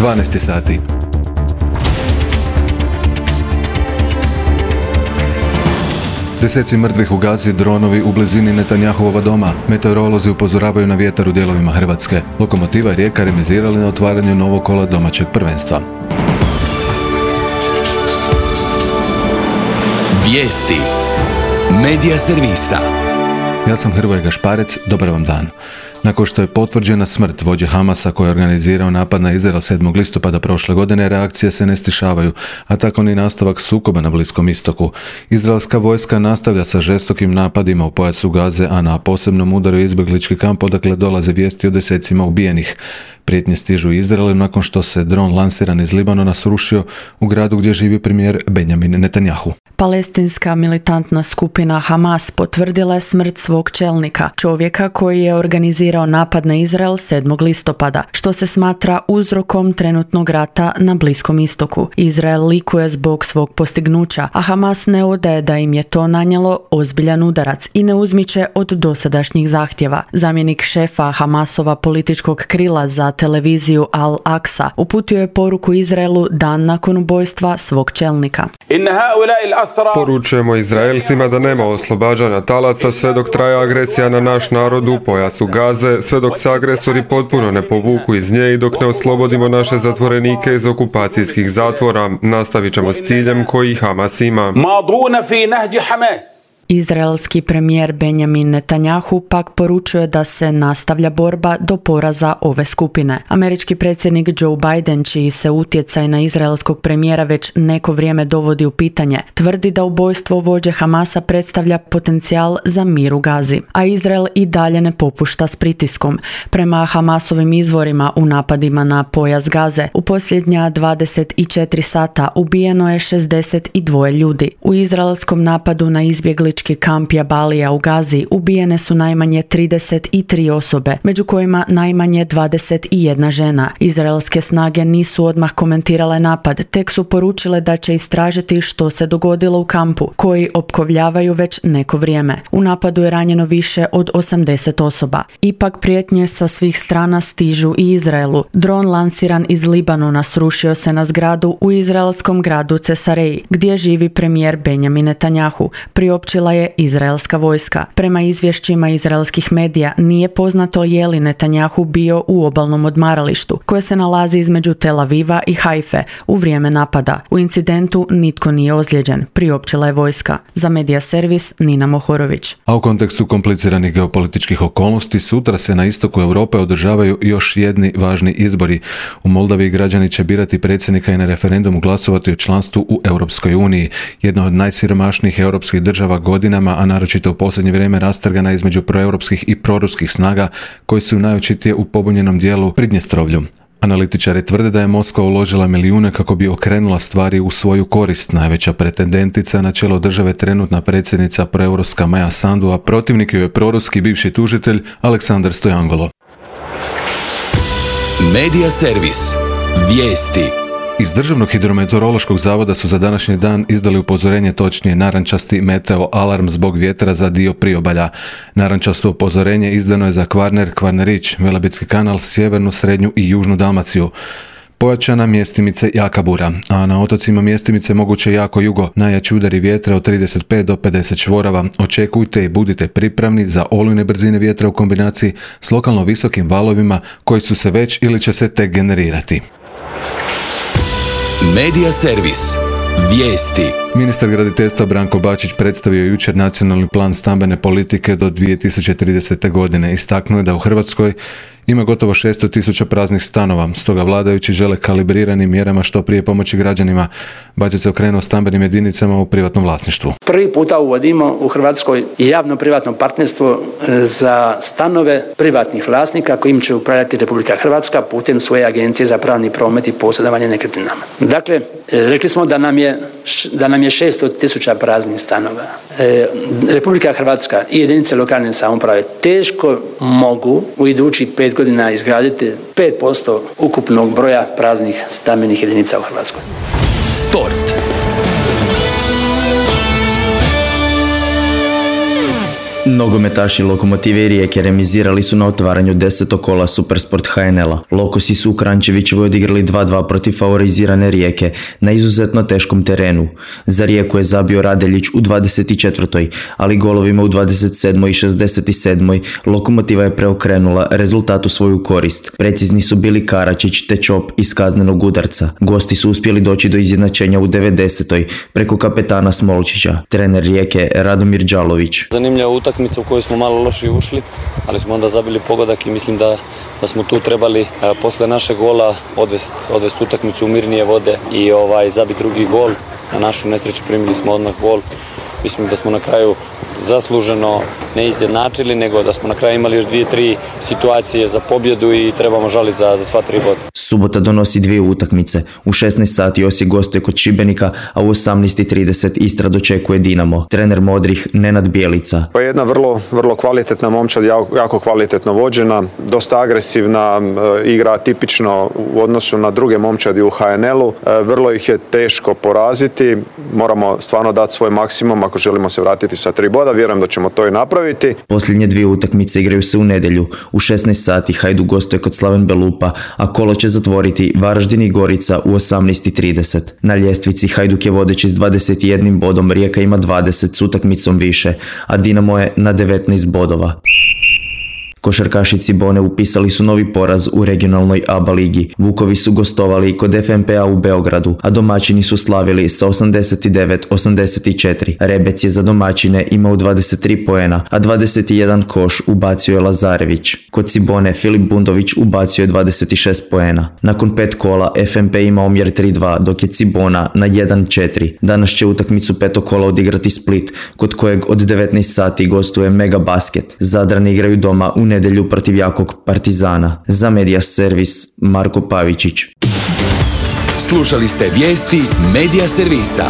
12 sati. Deseci mrtvih u Gazi, dronovi u blizini Netanjahuova doma. Meteorolozi upozoravaju na vjetar u dijelovima Hrvatske. Lokomotiva i Rijeka remizirali na otvaranju novog kola domaćeg prvenstva. Vijesti Medija servisa. Ja sam Hrvoje Gašparec, dobar vam dan. Nakon što je potvrđena smrt vođe Hamasa koji je organizirao napad na Izrael 7. listopada prošle godine, reakcije se ne stišavaju, a tako ni nastavak sukoba na Bliskom istoku. Izraelska vojska nastavlja sa žestokim napadima u pojasu Gaze, a na posebnom udaru izbjeglički kamp odakle dolaze vijesti o desecima ubijenih. Prijetnje stižu Izraelu nakon što se dron lansiran iz Libanona srušio u gradu gdje živi premijer Benjamin Netanjahu. Palestinska militantna skupina Hamas potvrdila je smrt svog čelnika, čovjeka koji je organizirao napad na Izrael 7. listopada, što se smatra uzrokom trenutnog rata na Bliskom istoku. Izrael likuje zbog svog postignuća, a Hamas ne odaje da im je to nanijelo ozbiljan udarac i ne uzmiče od dosadašnjih zahtjeva. Zamjenik šefa Hamasova političkog krila za televiziju Al Aqsa uputio je poruku Izraelu dan nakon ubojstva svog čelnika. Poručujemo Izraelcima da nema oslobađanja talaca sve dok traje agresija na naš narod u pojasu Gaze, sve dok se agresori potpuno ne povuku iz nje i dok ne oslobodimo naše zatvorenike iz okupacijskih zatvora. Nastavit ćemo s ciljem koji Hamas ima. Izraelski premijer Benjamin Netanjahu pak poručuje da se nastavlja borba do poraza ove skupine. Američki predsjednik Joe Biden, čiji se utjecaj na izraelskog premijera već neko vrijeme dovodi u pitanje, tvrdi da ubojstvo vođe Hamasa predstavlja potencijal za mir u Gazi, a Izrael i dalje ne popušta s pritiskom. Prema Hamasovim izvorima u napadima na pojas Gaze, u posljednja 24 sata ubijeno je 62 ljudi. U izraelskom napadu na izbjeglički kamp Jabalija u Gazi ubijene su najmanje 33 osobe, među kojima najmanje 21 žena. Izraelske snage nisu odmah komentirale napad, tek su poručile da će istražiti što se dogodilo u kampu, koji opkovljavaju već neko vrijeme. U napadu je ranjeno više od 80 osoba. Ipak prijetnje sa svih strana stižu i Izraelu. Dron lansiran iz Libanona srušio se na zgradu u izraelskom gradu Cesareji, gdje živi premijer Benjamin Netanjahu, priopćila je izraelska vojska. Prema izvješćima izraelskih medija nije poznato je li Netanjahu bio u obalnom odmaralištu, koje se nalazi između Tel Aviva i Haife u vrijeme napada. U incidentu nitko nije ozlijeđen, priopćila je vojska. Za Medija servis Nina Mohorović. A u kontekstu kompliciranih geopolitičkih okolnosti, sutra se na istoku Europe održavaju još jedni važni izbori. U Moldaviji građani će birati predsjednika i na referendumu glasovati o članstvu u Europskoj uniji. Jedna od najsiromašnijih europskih država godinama, a naročito u posljednje vrijeme rastrgana između proeuropskih i proruskih snaga koji su najočitije u pobunjenom dijelu Pridnjestrovlju. Analitičari tvrde da je Moskva uložila milijune kako bi okrenula stvari u svoju korist. Najveća pretendentica na čelo države trenutna predsjednica proeuropska Maja Sandu, a protivnik joj je proruski bivši tužitelj Aleksandar Stojangolo. Medija servis. Vijesti. Iz Državnog hidrometeorološkog zavoda su za današnji dan izdali upozorenje, točnije narančasti meteo alarm zbog vjetra za dio priobalja. Narančasto upozorenje izdano je za Kvarner, Kvarnerić, Velebitski kanal, sjevernu, srednju i južnu Dalmaciju. Pojačana mjestimice jaka bura, a na otocima mjestimice moguće jako jugo, najjači udari vjetra od 35 do 50 čvorava. Očekujte i budite pripravni za olujne brzine vjetra u kombinaciji s lokalno visokim valovima koji su se već ili će se tek generirati. Medija servis. Vijesti. Ministar graditeljstva Branko Bačić predstavio jučer nacionalni plan stambene politike do 2030. godine. Istaknuo je da u Hrvatskoj ima gotovo 600.000 praznih stanova, stoga vladajući žele kalibrirani mjerama što prije pomoći građanima. Bačić se okrenuo stambenim jedinicama u privatnom vlasništvu. Prvi puta uvodimo u Hrvatskoj javno-privatno partnerstvo za stanove privatnih vlasnika kojim će upravljati Republika Hrvatska putem svoje agencije za pravni promet i posjedovanje nekretninama. Dakle, rekli smo da nam je 600.000 praznih stanova. Republika Hrvatska i jedinice lokalne samouprave teško mogu u idućih 5 godina izgraditi 5% ukupnog broja praznih stambenih jedinica u Hrvatskoj. Sport. Nogometaši Lokomotive i Rijeke remizirali su na otvaranju 10. kola Supersport HNL-a. Lokosi su u Kranjčevićevoj odigrali 2-2 protiv favorizirane Rijeke na izuzetno teškom terenu. Za Rijeku je zabio Radeljić u 24. ali golovima u 27. i 67. Lokomotiva je preokrenula rezultat u svoju korist. Precizni su bili Karačić te Čop iz kaznenog udarca. Gosti su uspjeli doći do izjednačenja u 90. preko kapetana Smolčića. Trener Rijeke Radomir Đalović. Zanimljiva utakmica u kojoj smo malo loši ušli, ali smo onda zabili pogodak i mislim da smo tu trebali posle našeg gola odvest utakmicu u mirnije vode i zabiti drugi gol. Na našu nesreću primili smo odmah gol. Mislim da smo na kraju zasluženo ne izjednačili, nego da smo na kraju imali još 2-3 situacije za pobjedu i trebamo žaliti za sva 3 boda. Subota donosi 2 utakmice. U 16 sati Osijek gostuje kod Šibenika, a u 18:30 Istra dočekuje Dinamo. Trener modrih Nenad Bjelica. Pa jedna vrlo kvalitetna momčad, jako kvalitetno vođena, dosta agresivna, igra tipično u odnosu na druge momčadi u HNL-u. Vrlo ih je teško poraziti, moramo stvarno dati svoj maksimum ako želimo se vratiti sa 3 boda, vjerujem da ćemo to i napraviti. Posljednje 2 utakmice igraju se u nedjelju. U 16 sati Hajduk gostuje kod Slaven Belupa, a kolo će zatvoriti Varaždin i Gorica u 18:30. Na ljestvici Hajduk je vodeći s 21 bodom, Rijeka ima 20 s utakmicom više, a Dinamo je na 19 bodova. Košarkaši Cibone upisali su novi poraz u regionalnoj ABA ligi. Vukovi su gostovali kod FNP-a u Beogradu, a domaćini su slavili sa 89-84. Rebec je za domaćine imao 23 poena, a 21 koš ubacio je Lazarević. Kod Cibone Filip Bundović ubacio je 26 poena. Nakon 5 kola FNP ima omjer 3-2, dok je Cibona na 1-4. Danas će utakmicu 5. kola odigrati Split, kod kojeg od 19 sati gostuje Mega Basket. Zadrani igraju doma u nedjelju protiv jakog Partizana. Za Media Servis Marko Pavičić. Slušali ste vijesti Media Servisa.